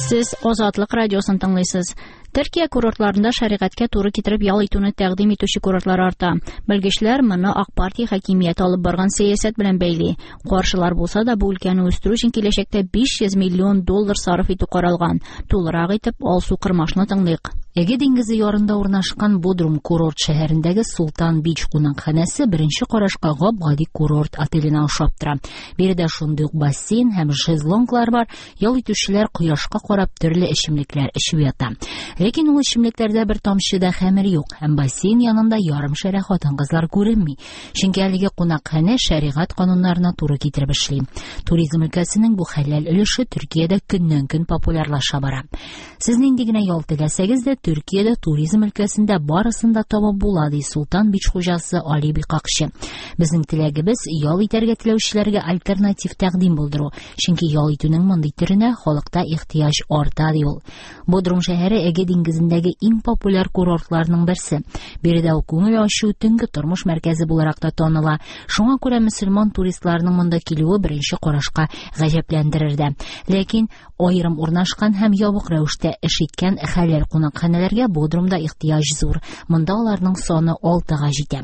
Сез Азатлык радиосын тыңлыйсыз. Төркия курортларында шәригатькә туры китереп ял итүне тәкъдим итүче курортлар арта. Белгечләр моны Ак партия хакимияте алып барган сәясәт белән бәйли. Каршылар булса да, бу өлкәне үстерү өчен киләчәктә 500 миллион доллар сарыф итү каралган. Тулырак итеп Алсу Кырмашны тыңлыйк. Эге диңгезе ярында урнашкан Бодрум курорт шәһәрендәге Султан Бич кунакханәсе беренче карашка гап-гади курорт отеленә ошап тора. Биредә шундый ук бассейн һәм шезлонглар бар, ял итүчеләр кояшка карап төрле эчемлекләр эчеп ята. Ләкин ул эчемлекләрдә бер тамчы да хәмер юк һәм бассейн янында ярым шәрә хатын-кызлар күренми. Чөнки әлеге кунакханә шәригать кануннарына туры китереп эшли. Туризм өлкәсенең бу хәләл өлеше Төркиядә көннән-көн популярлаша бара. Сез нинди генә ял теләсәгез дә, Төркиядә туризм өлкәсендә барысын да табып була, ди Султан Бич хуҗасы Али Бикакчы. Безнең теләгебез ял итәргә теләүчеләргә альтернатив тәкъдим булдыру, чөнки ял итүнең мондый төренә халыкта ихтыяҗ арта, ди ул. Бодрум шәһәре Эге диңгезендәге иң популяр курортларның берсе. Биредә ул күңел ачу, төнге тормыш мәркәзе буларак та таныла. Шуңа күрә мөселман туристларының монда килүе беренче карашка гаҗәпләндерер дә. Ләкин аерым урнашкан һәм ябык рәвештә эш иткән хәләл кунакханәләргә Бодрумда ихтыяҗ зур. Монда аларның саны 6-га җитә.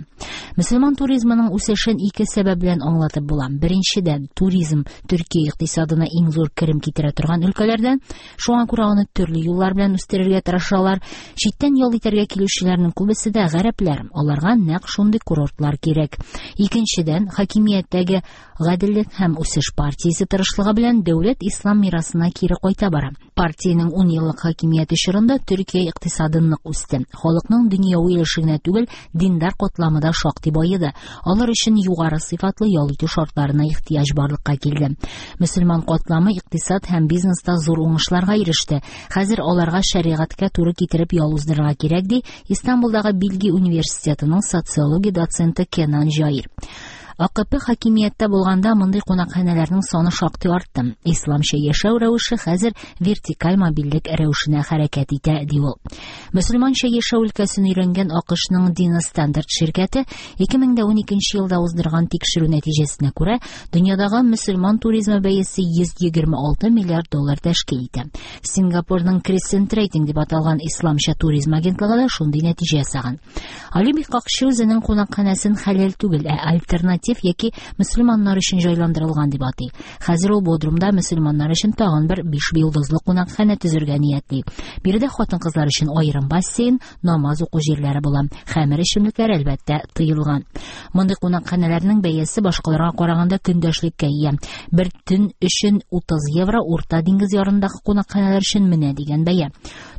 Мөселман туризмының үсешен ике сәбәп белән аңлатып була. Беренчедән, туризм Төркия икътисадына иң зур керем китерә торган өлкәләрдән. Шуңа күрә аны төрле юллар белән үстерергә тырышалар. Читтән ял итәргә килүчеләрнең күбесе дә гарәпләр. Аларга нәкъ шундый курортлар кирәк. Икенчедән, хакимияттәге Гаделлек һәм үсеш партиясе тырышлыгы белән дәүләт ислам мирасына кире кайта бара. Партиянең 10 еллык хакимияте чорында Төркия икътисады нык үсте. Халыкның дөньяви өлеше генә түгел, диндар катламы да шактый баеды. Алар өчен югары сыйфатлы ял итү шартларына ихтыяҗ барлыкка килде. Мөселман катламы икътисад һәм бизнеста зур уңышларга иреште. Хәзер аларга шәригатькә туры китереп ял уздырырга кирәк, ди Истанбулдагы Билги университетының социология доценты Кенан Җаир. АКП хакимияттә булганда мондый кунакханәләрнең саны шактый артты. Исламча яшәү рәвеше хәзер вертикаль мобильлек рәвешенә хәрәкәт итә, ди ул. Мөселманча яшәү өлкәсен өйрәнгән АКШның Дина Стандарт ширкәте 2012 елда уздырган тикшерү нәтиҗәсенә күрә, дөньядагы мөселман туризмы бәясе 126 миллиард доллар тәшкил итә. Сингапурның Crescent Rating дип аталган исламча туризм агентлыгы да шундый нәтиҗә ясаган. Али Бикакчы үзенең кунакханәсен хәләл түгел, ә альтернатив яки мөселманнар өчен җайландырылган дип атый. Хәзер ул Бодрумда мөселманнар өчен тагын бер 5 йолдызлы кунакханә төзергә ниятли. Биредә хатын-кызлар өчен аерым бассейн, намаз уку җирләре була. Хәмер эчемлекләре, әлбәттә, тыелган. Мондый кунакханәләрнең бәясе башкаларга караганда көндәшлеккә ия. Бер төн өчен 30 евро Урта диңгез ярындагы кунакханәләр өчен менә дигән бәя.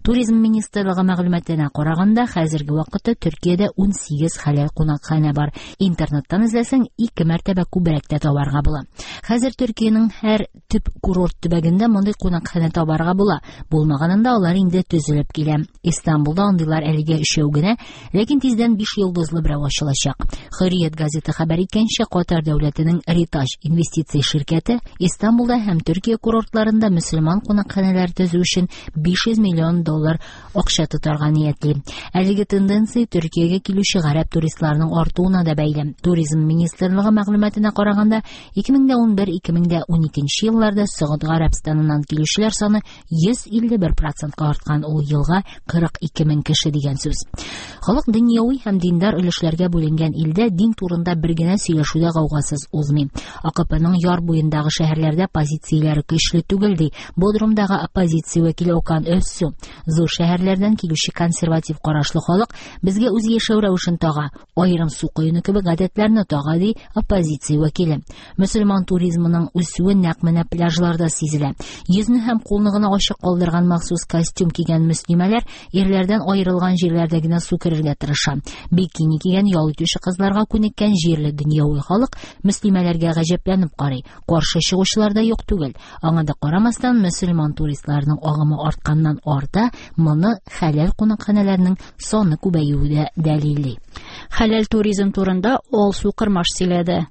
Туризм министрлыгы мәгълүматына караганда, хәзерге вакытта Төркиядә 18 хәләл кунакханә бар. Интернеттан эзләсәң, ике мәртәбә күбрәк тә табарга була. Хәзер Төркиянең һәр төп курорт төбәгендә мондый кунакханә табарга була. Булмаганында алар инде төзелеп килә. Истанбулда андыйлар әлегә өчәү генә, ләкин тиздән 5 йолдызлы берәү ачылачак. Хөррият газеты хәбәр иткәнчә, Катар дәүләтенең Ритаҗ инвестиция ширкәте Истанбулда һәм Төркия курортларында мөселман кунакханәләре төзү өчен 500 миллион доллар акча тотарга ниятли. Әлеге тенденция Төркиягә килүче гарәп туристларының артуына да бәйле. Туризм министрлыгы мәгълүматына караганда, 2011-2012 елларда Согуд Гарәбстаныннан килүчеләр саны 151%-ка арткан, ул елга 42 мең кеше дигән сүз. Халык дөньяви һәм диндар өлешләргә бүленгән илдә дин турында бер генә сөйләшү дә гаугасыз узмый. АКПның яр буендагы шәһәрләрдә позицияләре көчле түгел, ди Бодрумдагы оппозиция вәкиле Окан Özсу. Зур шәһәрләрдән килүче консерватив карашлы халык безгә үз яшәү рәвешен тага, аерым су коену кебек гадәтләрне тага, ди оппозиция вәкиле. Мөселман туризмының үсүе нәкъ менә пляжларда сизелә. Йөзне һәм кулны гына ачык калдырган махсус костюм кигән мөслимәләр ирләрдән аерылган җирләрдә генә су керергә тырыша. Бикини кигән ял итүче кызларга күнеккән җирле дөньяви халык мөслимәләргә гаҗәпләнеп карый. Каршы чыгучылар да юк түгел. Аңа да карамастан, мөселман туристларының агымы артканнан арта, моны хәләл кунакханәләрнең саны күбәюе дә дәлилли. Хәләл туризм турында Алсу Кырмаш сөйләде.